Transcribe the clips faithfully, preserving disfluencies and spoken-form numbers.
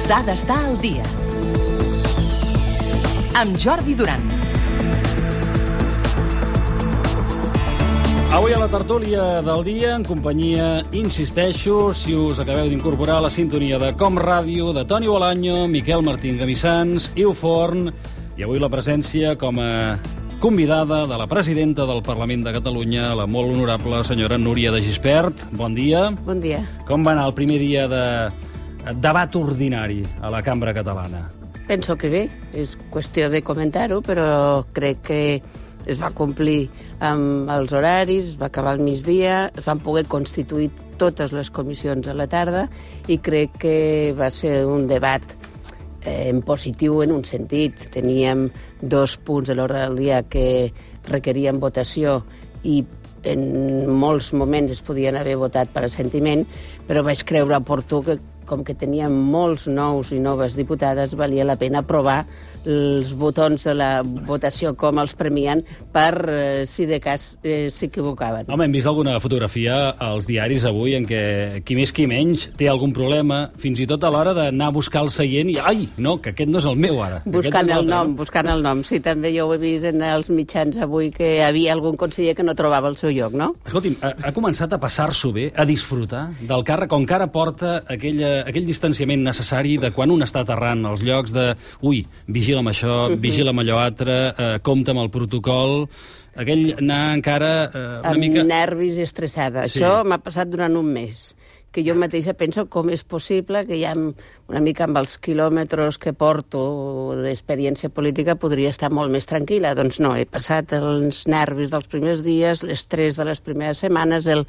S'ha d'estar al dia. Amb Jordi Duran. Avui a la tertúlia del dia, en companyia, insisteixo, si us acabeu d'incorporar a la sintonia de Com Ràdio, de Toni Bolaño, Miquel Martín Gamissans, Iu Forn, i avui la presència com a convidada de la presidenta del Parlament de Catalunya, la molt honorable senyora Núria de Gispert. Bon dia. Bon dia. Com va anar el primer dia de debat ordinari a la Cambra Catalana? Penso que bé, és qüestió de comentar-ho, però crec que es va complir amb els horaris, es va acabar al migdia, es van poder constituir totes les comissions a la tarda i crec que va ser un debat eh, en positiu en un sentit. Teníem dos punts de l'ordre del dia que requerien votació i en molts moments es podien haver votat per assentiment, però vaig creure oportú que, com que teníem molts nous i noves diputades, valia la pena provar els botons de la votació, com els premien, per eh, si de cas eh, s'equivocaven. Home, hem vist alguna fotografia als diaris avui en què qui més qui menys té algun problema, fins i tot a l'hora d'anar a buscar el seient i, ai, no, que aquest no és el meu ara. Buscant el nom, buscant el nom. Sí, també jo ho he vist en els mitjans avui que hi havia algun conseller que no trobava el seu lloc, no? Escolti'm, ha, ha començat a passar-s'ho bé, a disfrutar del càrrec, on encara porta aquella, aquell distanciament necessari de quan un està aterrant als llocs de, ui, vigila amb això, uh-huh. vigila amb allò altre, eh, compta amb el protocol, aquell anar encara eh, una amb mica... Amb nervis i estressada. Sí. Això m'ha passat durant un mes, que jo mateixa penso com és possible que ja una mica amb els quilòmetres que porto d'experiència política podria estar molt més tranquil·la. Doncs no, he passat els nervis dels primers dies, l'estrès de les primeres setmanes, el,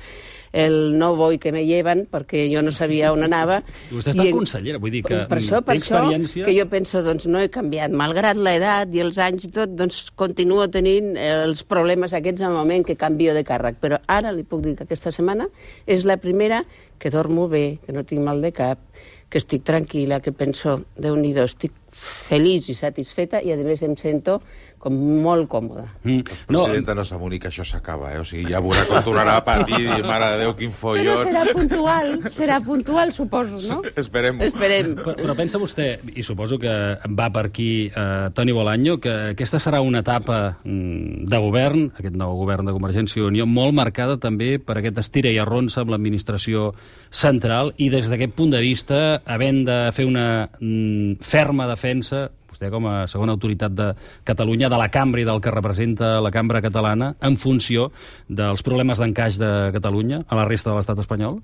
el no voy que me lleven, perquè jo no sabia on anava. Vostè està I, consellera, vull dir que per això, per té experiència... això que jo penso, doncs no he canviat. Malgrat l'edat i els anys i tot, doncs continuo tenint els problemes aquests en el moment que canvio de càrrec. Però ara li puc dir que aquesta setmana és la primera que dormo bé, que no tinc mal de cap, que estic tranquil·la, que penso, Déu-n'hi-do, estic feliç i satisfeta i, a més, em sento com molt còmoda. Mm. No, presidenta, no s'amoni que això s'acaba, eh? O sigui, ja veurà com tornarà a patir i, mare de Déu, quin follon. Però serà puntual, serà puntual, suposo, no? Esperem. Esperem. Però, però pensa vostè, i suposo que va per aquí eh, Toni Bolaño, que aquesta serà una etapa mm, de govern, aquest nou govern de Convergència i Unió, molt marcada també per aquest estira i arronsa amb l'administració central, i des d'aquest punt de vista, havent de fer una mm, ferma defensa, vostè com a segona autoritat de Catalunya, de la cambra i del que representa la cambra catalana, en funció dels problemes d'encaix de Catalunya a la resta de l'estat espanyol?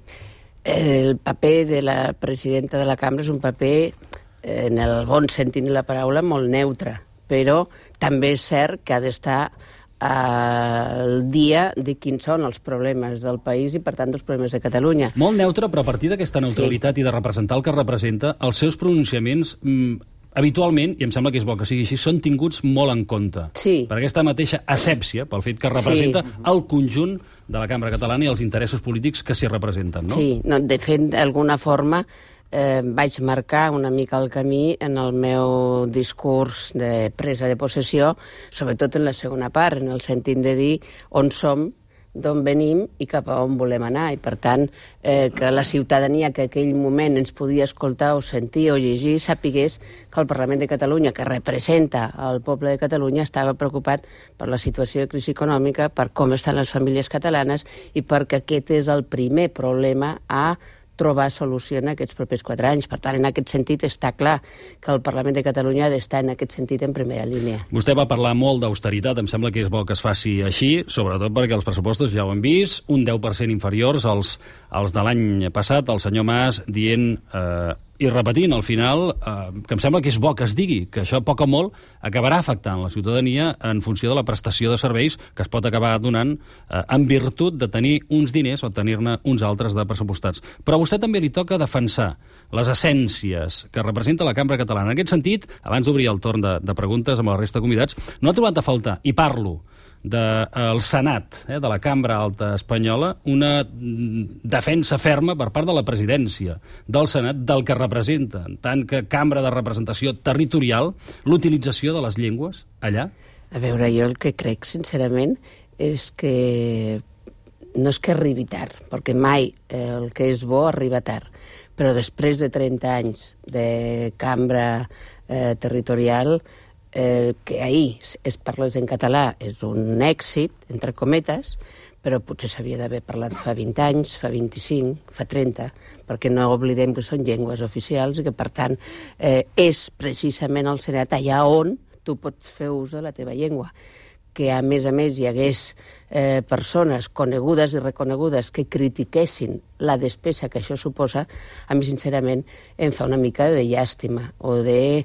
El paper de la presidenta de la cambra és un paper, en el bon sentit de la paraula, molt neutre, però també és cert que ha d'estar al dia de quins són els problemes del país i, per tant, dels problemes de Catalunya. Molt neutre, però a partir d'aquesta neutralitat sí. i de representar el que representa, els seus pronunciaments mm, habitualment, i em sembla que és bo que sigui així, són tinguts molt en compte. Sí. Per aquesta mateixa asèpsia, pel fet que representa sí. el conjunt de la cambra catalana i els interessos polítics que s'hi representen, no? Sí, no, de fet, d'alguna forma eh, vaig marcar una mica el camí en el meu discurs de presa de possessió, sobretot en la segona part, en el sentit de dir on som, d'on venim i cap a on volem anar. I, per tant, eh, que la ciutadania que en aquell moment ens podia escoltar o sentir o llegir sapigués que el Parlament de Catalunya, que representa el poble de Catalunya, estava preocupat per la situació de crisi econòmica, per com estan les famílies catalanes i perquè aquest és el primer problema a trobar solució en aquests propers quatre anys. Per tant, en aquest sentit, està clar que el Parlament de Catalunya ha d'estar en aquest sentit en primera línia. Vostè va parlar molt d'austeritat, em sembla que és bo que es faci així, sobretot perquè els pressupostos ja ho hem vist, un deu per cent inferiors als, als de l'any passat, el senyor Mas dient... Eh, i repetint, al final, eh, que em sembla que és bo que es digui, que això, a poc o molt, acabarà afectant la ciutadania en funció de la prestació de serveis que es pot acabar donant eh, en virtut de tenir uns diners o tenir-ne uns altres de pressupostats. Però a vostè també li toca defensar les essències que representa la cambra catalana. En aquest sentit, abans d'obrir el torn de, de preguntes amb la resta de convidats, no ha trobat a faltar, i parlo del de, Senat, eh, de la Cambra Alta Espanyola, una defensa ferma per part de la presidència del Senat del que representa, en tant que cambra de representació territorial, l'utilització de les llengües allà? A veure, jo el que crec, sincerament, és que no és que arribi tard, perquè mai el que és bo arriba tard, però després de trenta anys de cambra eh, territorial, eh, que ahir es parlés en català és un èxit, entre cometes, però potser s'havia d'haver parlat fa vint anys, fa vint-i-cinc, fa trenta, perquè no oblidem que són llengües oficials i que, per tant, eh, és precisament al Senat allà on tu pots fer ús de la teva llengua. Que, a més a més, hi hagués eh, persones conegudes i reconegudes que critiquessin la despesa que això suposa, a mi, sincerament, em fa una mica de llàstima o de...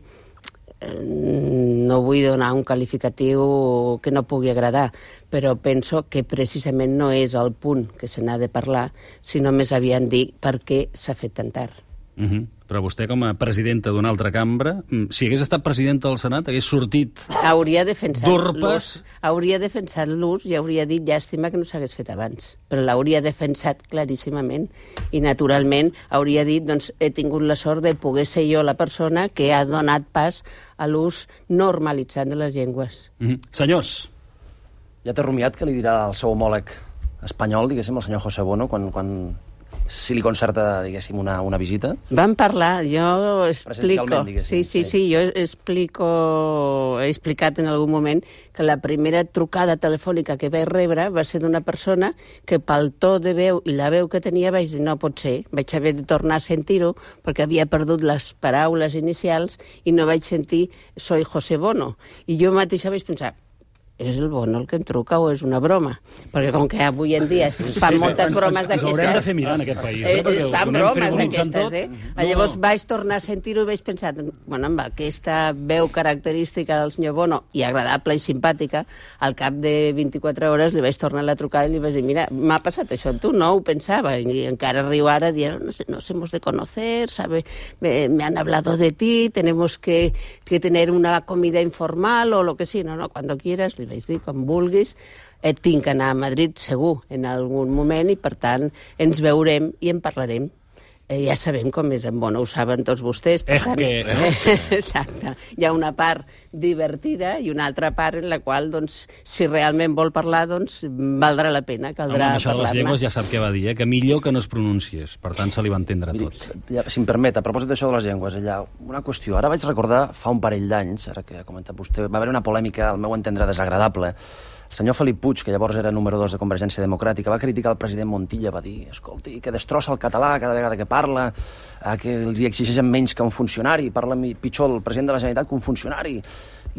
no vull donar un qualificatiu que no pugui agradar, però penso que precisament no és el punt que se n'ha de parlar, sinó més aviat dir per què s'ha fet tan tard. Uh-huh. Però vostè, com a presidenta d'una altra cambra, si hagués estat presidenta del Senat, hagués sortit hauria defensat d'urpes... Hauria defensat l'ús i hauria dit llàstima que no s'hagués fet abans. Però l'hauria defensat claríssimament. I, naturalment, hauria dit, doncs, he tingut la sort de poder ser jo la persona que ha donat pas a l'ús normalitzat de les llengües. Mm-hmm. Senyors. Ja té rumiat que li dirà el seu homòleg espanyol, diguéssim, el senyor José Bono, quan... quan... si li concerta, diguéssim, una, una visita? Vam parlar, jo explico... Sí, sí, sí, jo explico... He explicat en algun moment que la primera trucada telefònica que vaig rebre va ser d'una persona que pel to de veu i la veu que tenia vaig dir no pot ser, vaig haver de tornar a sentir-ho perquè havia perdut les paraules inicials i no vaig sentir soy José Bono. I jo mateixa vaig pensar, és el Bono el que em truca o és una broma? Perquè com que avui en dia es fan moltes bromes d'aquestes... Ens haurem de fer mirar en aquest país, eh? Perquè Es fan bromes d'aquestes, eh? Llavors vaig tornar a sentir-ho i vaig pensar, bueno, amb aquesta veu característica del senyor Bono, i agradable i simpàtica, al cap de vint-i-quatre hores li vaig tornar la trucada i li vaig dir, mira, m'ha passat això amb tu, no ho pensava, i encara riu ara dient, no sé, nos hemos de conocer, sabe, me, me han hablado de ti, tenemos que, que tener una comida informal o lo que sí, no, no, cuando quieras, vaig dir, com vulguis, eh, tinc que anar a Madrid segur en algun moment i, per tant, ens veurem i en parlarem. Eh, ja sabem com és en Bono, ho saben tots vostès. Per tant, que... eh, exacte. Hi ha una part divertida i una altra part en la qual, doncs, si realment vol parlar, doncs, valdrà la pena, caldrà parlar-ne. Això de les llengües ja sap què va dir, eh? Que millor que no es pronunciés, per tant se li va entendre Miri, tot. Ja, si em permet, a propòsit d'això de les llengües, allà, una qüestió. Ara vaig recordar, fa un parell d'anys, ara que ha comentat vostè, va haver una polèmica, al meu entendre, desagradable. El senyor Felip Puig, que llavors era número dos de Convergència Democràtica, va criticar el president Montilla, va dir, escolti, que destrossa el català cada vegada que parla, que els hi exigeixen menys que un funcionari, parla pitjor el president de la Generalitat que un funcionari.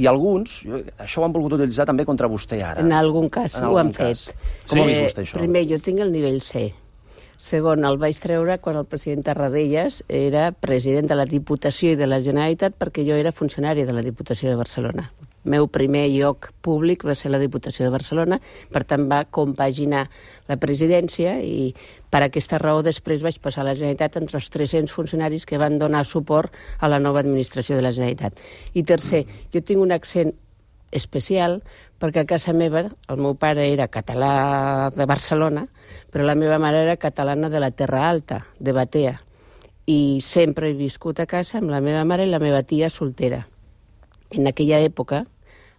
I alguns, jo, això ho han volgut utilitzar també contra vostè ara. En algun cas en ho han cas. fet. Com sí. ha vist vostè això? Primer, jo tinc el nivell C. Segon, el vaig treure quan el president Tarradellas era president de la Diputació i de la Generalitat perquè jo era funcionari de la Diputació de Barcelona. El meu primer lloc públic va ser la Diputació de Barcelona, per tant va compaginar la presidència i per aquesta raó després vaig passar a la Generalitat entre els tres-cents funcionaris que van donar suport a la nova administració de la Generalitat. I tercer, jo tinc un accent especial perquè a casa meva el meu pare era català de Barcelona, però la meva mare era catalana de la Terra Alta, de Batea. I sempre he viscut a casa amb la meva mare i la meva tia soltera. En aquella època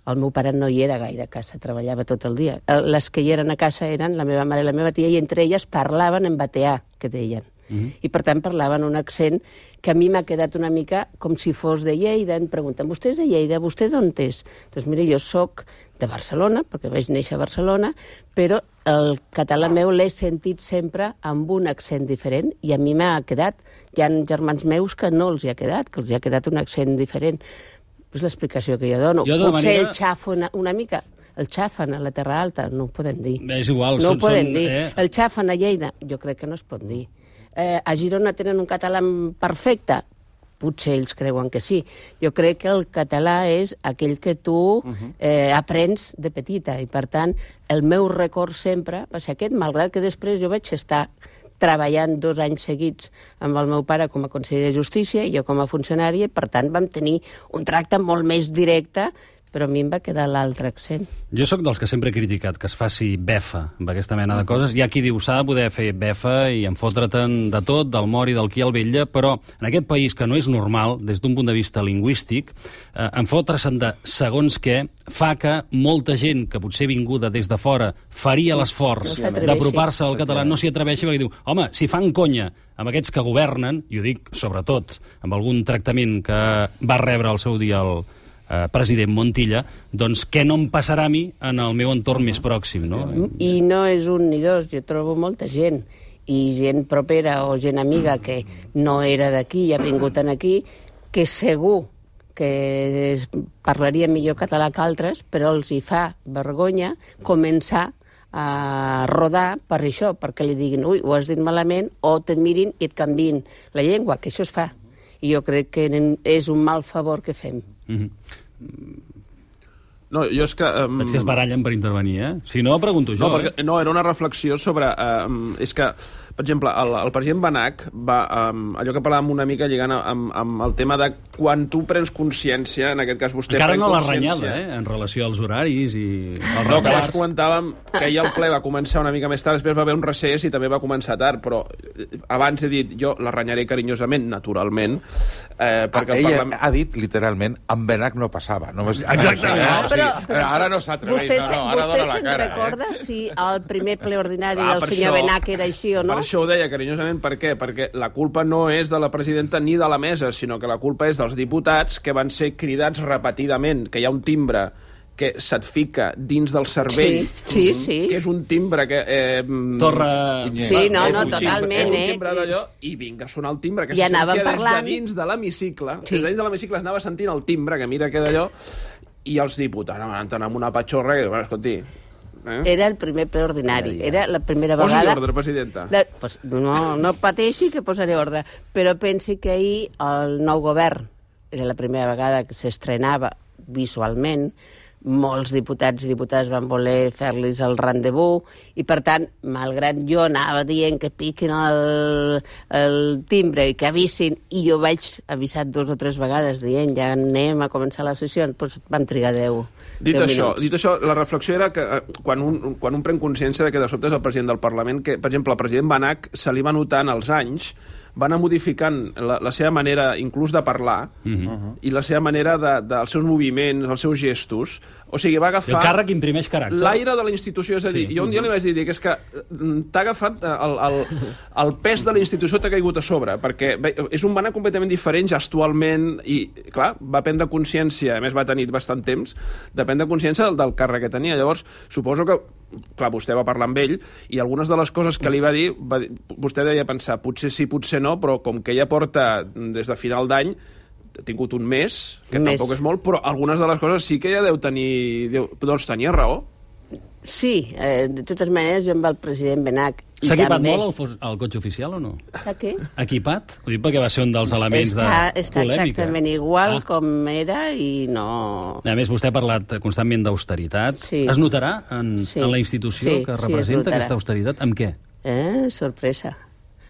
el meu pare no hi era gaire a casa, treballava tot el dia. Les que hi eren a casa eren la meva mare i la meva tia i entre elles parlaven en bateà, que deien. Uh-huh. I per tant parlaven un accent que a mi m'ha quedat una mica com si fos de Lleida. Em pregunten, vostè és de Lleida? Vostè d'on és? Doncs mira, jo sóc de Barcelona, perquè vaig néixer a Barcelona, però el català meu l'he sentit sempre amb un accent diferent i a mi m'ha quedat. Hi ha germans meus que no els hi ha quedat, que els hi ha quedat un accent diferent. És l'explicació que jo dono. Jo Potser manera... el xafo una, una mica... El xafen a la Terra Alta, no ho podem dir. És igual. No són, ho podem són, dir. Eh? El xafen a Lleida, jo crec que no es pot dir. Eh, a Girona tenen un català perfecte? Potser ells creuen que sí. Jo crec que el català és aquell que tu eh, aprens de petita i, per tant, el meu record sempre va ser aquest, malgrat que després jo vaig estar treballant dos anys seguits amb el meu pare com a conseller de Justícia i jo com a funcionària, i per tant vam tenir un tracte molt més directe però a mi em va quedar l'altre accent. Jo sóc dels que sempre he criticat que es faci befa amb aquesta mena de coses. Hi ha qui diu s'ha de poder fer befa i enfotre'te'n de tot, del mort i del qui al vetlla, però en aquest país que no és normal, des d'un punt de vista lingüístic, eh, enfotre-se'n de segons què fa que molta gent que potser vinguda des de fora faria l'esforç No s'atreveixi. d'apropar-se al català, no s'hi atreveixi perquè diu, home, si fan conya amb aquests que governen, i ho dic sobretot amb algun tractament que va rebre al seu dia el eh, president Montilla, doncs què no em passarà a mi en el meu entorn més pròxim, no? I no és un ni dos, jo trobo molta gent, i gent propera o gent amiga que no era d'aquí i ha vingut aquí, que segur que parlaria millor català que altres, però els hi fa vergonya començar a rodar per això, perquè li diguin, ui, ho has dit malament, o te'n mirin i et canviïn la llengua, que això es fa. I jo crec que és un mal favor que fem. Mm-hmm. No, jo és que... Um... Veig que es barallen per intervenir, eh? Si no, pregunto jo, no, perquè, eh? no, era una reflexió sobre... Um, és que, per exemple, el, el president Benach va... Um, allò que parlàvem una mica lligant amb, amb el tema de quan tu prens consciència, en aquest cas vostè Encara pren no l'ha consciència... renyada, eh? En relació als horaris i... Els No, que abans comentàvem que ahir el ple va començar una mica més tard, després va haver un recés i també va començar tard, però abans he dit, jo la renyaré carinyosament, naturalment, eh, perquè el Ella Parlament... ha dit, literalment, amb Benach no passava. No m'has- Exactament. Eh? No, O sigui, però- però- ara no s'atreveix, Vostè, no, no, ara vostè dona la se'n cara. recorda Eh? si el primer ple ordinari Ah, del per senyor això- Benach era així o no? Per això ho deia carinyosament, per què? Perquè la culpa no és de la presidenta ni de la mesa, sinó que la culpa és dels diputats que van ser cridats repetidament, que hi ha un timbre que se't fica dins del cervell, Sí, sí, sí. que és un timbre que... Eh, Torre... Sí, no, és no, un timbre- totalment, és un eh? timbre d'allò, i vinga a sonar el timbre, que I se anàvem sentia des parlant- de dins de l'hemicicle, Sí. des de dins de l'hemicicle es anava sentint el timbre, que mira que d'allò, i els diputats van entrar amb una patxorra que diuen, bueno, escolti... Eh? Era el primer ple ordinari, era la primera Posi vegada... ordre, presidenta. De, pues, no, no pateixi que posaré ordre, però pensi que ahir el nou govern era la primera vegada que s'estrenava visualment, molts diputats i diputades van voler fer-los el rendezvous i, per tant, malgrat jo anava dient que piquin el, el timbre i que avisin, i jo vaig avisar dos o tres vegades dient ja anem a començar la sessió, doncs vam trigar deu, Dit deu això, minuts. dit això, la reflexió era que eh, quan un, quan un pren consciència de que de sobte és el president del Parlament, que, per exemple, el president Benach se li va notant als anys, va anar modificant la, la seva manera inclús de parlar Mhm. i la seva manera de, de, els seus moviments, els seus gestos. O sigui, va El agafar càrrec imprimeix caràcter. l'aire de la institució. És a dir, Sí. jo un dia li vaig dir que és que mm, t'ha agafat el, el, el pes de la institució t'ha caigut a sobre, perquè bé, és un Benach completament diferent gestualment i, clar, va prendre consciència, a més va tenir bastant temps, de prendre consciència del, del càrrec que tenia. Llavors, suposo que, clar, vostè va parlar amb ell i algunes de les coses que li va dir, va dir vostè deia pensar, potser sí, potser no, però com que ella porta des de final d'any, ha tingut un mes, que Mes. tampoc és molt, però algunes de les coses sí que ella deu tenir... Deu, doncs tenia raó. Sí, eh, de totes maneres jo amb el president Benach i S'ha equipat també... molt el, fos- el cotxe oficial o no? Està què? Equipat? Ho dic perquè va ser un dels elements Està, de està polèmica. exactament igual Ah. com era i no... A més, vostè ha parlat constantment d'austeritat. Sí. Es notarà en, Sí. en la institució Sí, que sí, es representa notarà. aquesta austeritat? Amb què? Eh, sorpresa.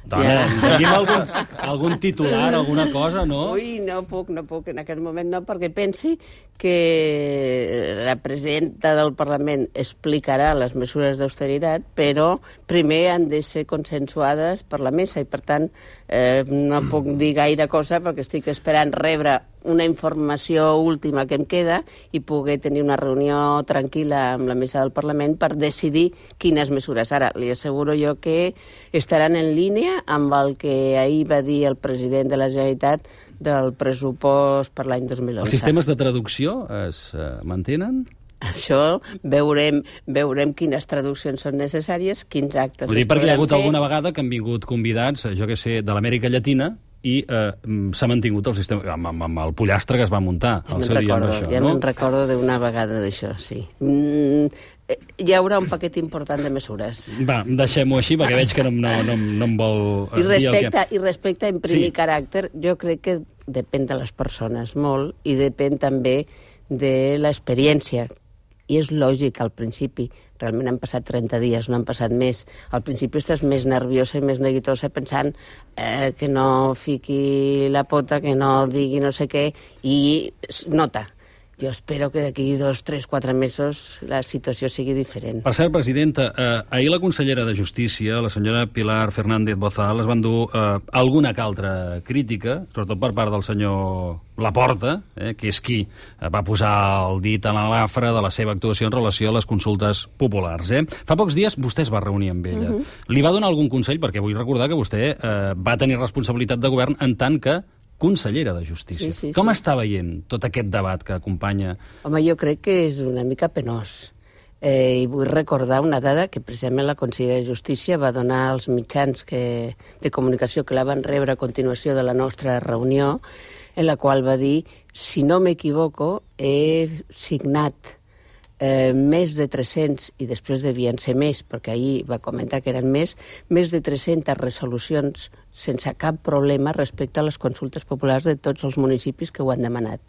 Dona, Ja. digui'm algun, algun titular, alguna cosa, no? Ui, no puc, no puc, en aquest moment no, perquè pensi que la presidenta del Parlament explicarà les mesures d'austeritat, però primer han de ser consensuades per la mesa i, per tant, eh, no puc dir gaire cosa perquè estic esperant rebre una informació última que em queda i poder tenir una reunió tranquil·la amb la mesa del Parlament per decidir quines mesures. Ara, li asseguro jo que estaran en línia amb el que ahir va dir el president de la Generalitat del pressupost per l'any dos mil onze. Els sistemes de traducció es eh, mantenen? Això veurem, veurem quines traduccions són necessàries, quins actes Ho dic es perquè hi ha podran hagut fer. alguna vegada que han vingut convidats, jo que sé, de l'Amèrica Llatina, i eh, mm, s'ha mantingut el sistema, amb, amb, amb el pollastre que es va muntar Ja al me'n seu dia amb recordo, això, ja no? me'n recordo d'una vegada d'això, sí. Mm, eh, hi haurà un paquet important de mesures. Va, deixem-ho així, perquè veig que no, no, no, no em vol I eh, dir el respecte, que... I respecte a imprimir Sí. caràcter, jo crec que depèn de les persones molt i depèn també de l'experiència. I és lògic al principi. Realment han passat trenta dies, no han passat més. Al principi estàs més nerviosa i més neguitosa pensant eh, que no fiqui la pota, que no digui no sé què, i es nota. Jo espero que d'aquí dos, tres, quatre mesos la situació sigui diferent. Per cert, presidenta, eh, ahir la consellera de Justícia, la senyora Pilar Fernández Bozal, es van dur eh, alguna que altra crítica, sobretot per part del senyor Laporta, eh, que és qui va posar el dit a la lafra de la seva actuació en relació a les consultes populars. Eh? Fa pocs dies vostè es va reunir amb ella. Uh -huh. Li va donar algun consell? Perquè vull recordar que vostè eh, va tenir responsabilitat de govern en tant que consellera de Justícia. Sí, sí, Com sí. està veient tot aquest debat que acompanya? Home, jo crec que és una mica penós. Eh, I vull recordar una dada que precisament la consellera de Justícia va donar als mitjans que, de comunicació que la van rebre a continuació de la nostra reunió, en la qual va dir, si no m'equivoco, he signat eh, més de tres-cents, i després devien ser més, perquè ahir va comentar que eren més, més de tres-centes resolucions sense cap problema respecte a les consultes populars de tots els municipis que ho han demanat.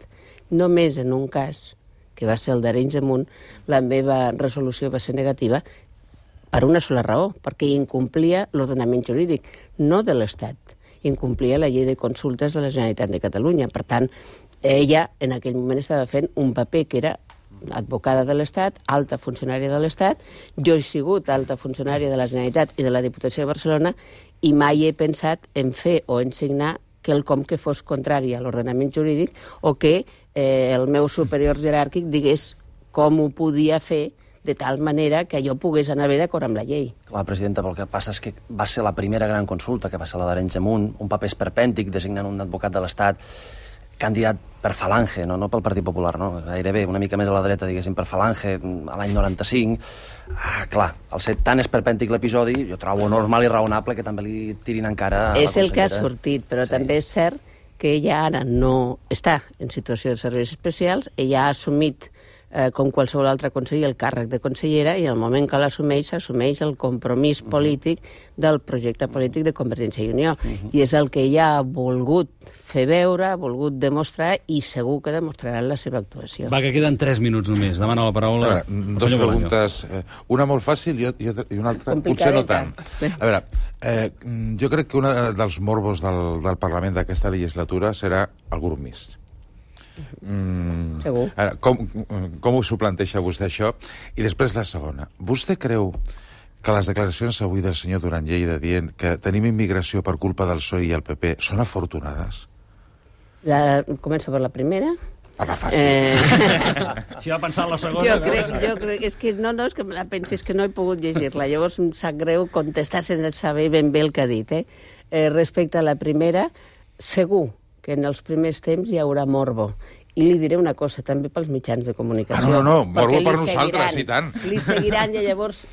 Només en un cas, que va ser el d'Arenys de Munt, la meva resolució va ser negativa per una sola raó, perquè incomplia l'ordenament jurídic, no de l'Estat, incomplia la llei de consultes de la Generalitat de Catalunya. Per tant, ella en aquell moment estava fent un paper que era advocada de l'Estat, alta funcionària de l'Estat, jo he sigut alta funcionària de la Generalitat i de la Diputació de Barcelona i mai he pensat en fer o en signar quelcom que fos contrari a l'ordenament jurídic o que eh, el meu superior jeràrquic digués com ho podia fer de tal manera que jo pogués anar bé d'acord amb la llei. Clar, presidenta, però el que passa és que va ser la primera gran consulta, que va ser la d'Arenys de Munt, un paper esperpèntic designant un advocat de l'Estat candidat per Falange, no, no pel Partit Popular, no? Gairebé una mica més a la dreta, diguéssim, per Falange, a l'any noranta-cinc. Ah, clar, al ser tan esperpèntic l'episodi, jo trobo normal i raonable que també li tirin encara a la És el que ha consellera. sortit, però Sí. també és cert que ella ara no està en situació de serveis especials, ella ha assumit eh, com qualsevol altre conseller el càrrec de consellera i en el moment que l'assumeix, assumeix el compromís polític del projecte polític de Convergència i Unió. Uh-huh. I és el que ella ha volgut fer veure, ha volgut demostrar i segur que demostrarà en la seva actuació. Va, que queden tres minuts només. Demana la paraula. A veure, dos preguntes. Eh, una molt fàcil i, i, i una altra potser no tant. A veure, eh, jo crec que un dels morbos del, del Parlament d'aquesta legislatura serà el grup mixt. Mm, Segur. Ara, com, com ho s'ho planteja vostè, això? I després la segona. Vostè creu que les declaracions avui del senyor Duran Lleida dient que tenim immigració per culpa del P S O E i el P P són afortunades? La, començo per la primera. Per la fàcil. Eh... Si va pensar en la segona... Jo crec, jo crec, és que no, no, és que me la pensi, és que no he pogut llegir-la. Llavors em sap greu contestar sense saber ben bé el que ha dit. Eh? Eh, respecte a la primera, segur que en els primers temps hi haurà morbo. I li diré una cosa, també pels mitjans de comunicació. Ah, no, no, no, morbo per seguiran, nosaltres, i tant. Li seguiran i llavors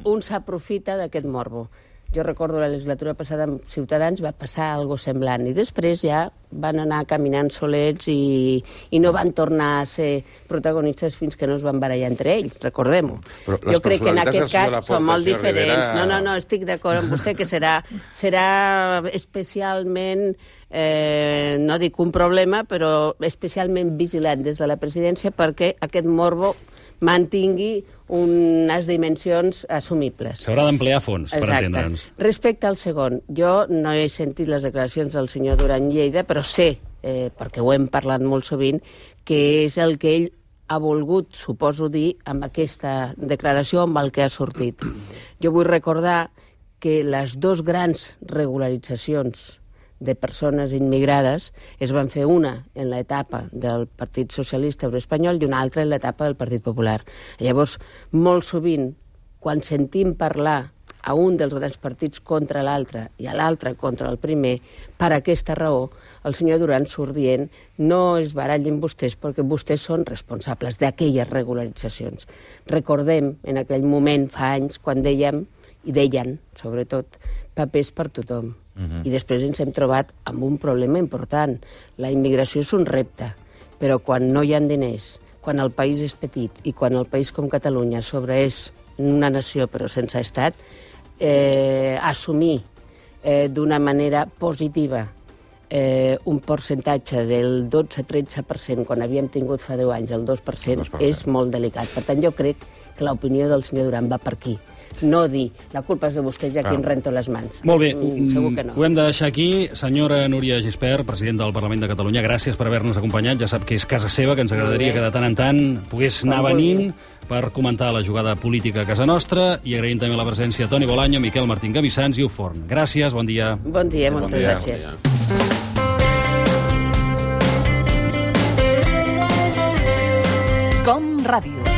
un s'aprofita d'aquest morbo. Jo recordo la legislatura passada amb Ciutadans va passar algo semblant i després ja van anar caminant solets i, i no van tornar a ser protagonistes fins que no es van barallar entre ells, recordem-ho. Jo crec que en aquest cas són molt diferents. Rivera... No, no, no, estic d'acord amb vostè que serà, serà especialment, eh, no dic un problema, però especialment vigilant des de la presidència perquè aquest morbo mantingui unes dimensions assumibles. S'haurà d'emplear fons, per entendre'ns. Respecte al segon, jo no he sentit les declaracions del senyor Duran Lleida, però sé, eh, perquè ho hem parlat molt sovint, que és el que ell ha volgut, suposo dir, amb aquesta declaració, amb el que ha sortit. Jo vull recordar que les dos grans regularitzacions de persones immigrades es van fer una en l'etapa del Partit Socialista Obrer Espanyol i una altra en l'etapa del Partit Popular. Llavors, molt sovint, quan sentim parlar a un dels grans partits contra l'altre i a l'altre contra el primer, per aquesta raó, el senyor Duran surt dient no es barallin vostès perquè vostès són responsables d'aquelles regularitzacions. Recordem en aquell moment, fa anys, quan dèiem, i deien, sobretot, papers per tothom. Uh-huh. I després ens hem trobat amb un problema important. La immigració és un repte, però quan no hi ha diners, quan el país és petit i quan el país com Catalunya sobre és una nació però sense estat, eh, assumir eh, d'una manera positiva eh, un percentatge del dotze a tretze per cent quan havíem tingut fa deu anys el dos per cent, dos per cent és molt delicat. Per tant, jo crec que l'opinió del senyor Duran va per aquí. no dir la culpa és de vostès i aquí em rento les mans. Molt bé, Mm, segur que no. Ho hem de deixar aquí. Senyora Núria Gispert, president del Parlament de Catalunya, gràcies per haver-nos acompanyat. Ja sap que és casa seva, que ens agradaria que de tant en tant pogués anar venint per comentar la jugada política a casa nostra, i agraïm també la presència de Toni Bolaño, Miquel Martín Gavissans i Uforn. Gràcies, bon dia. Bon dia, moltes bon dia. gràcies. Com Ràdio.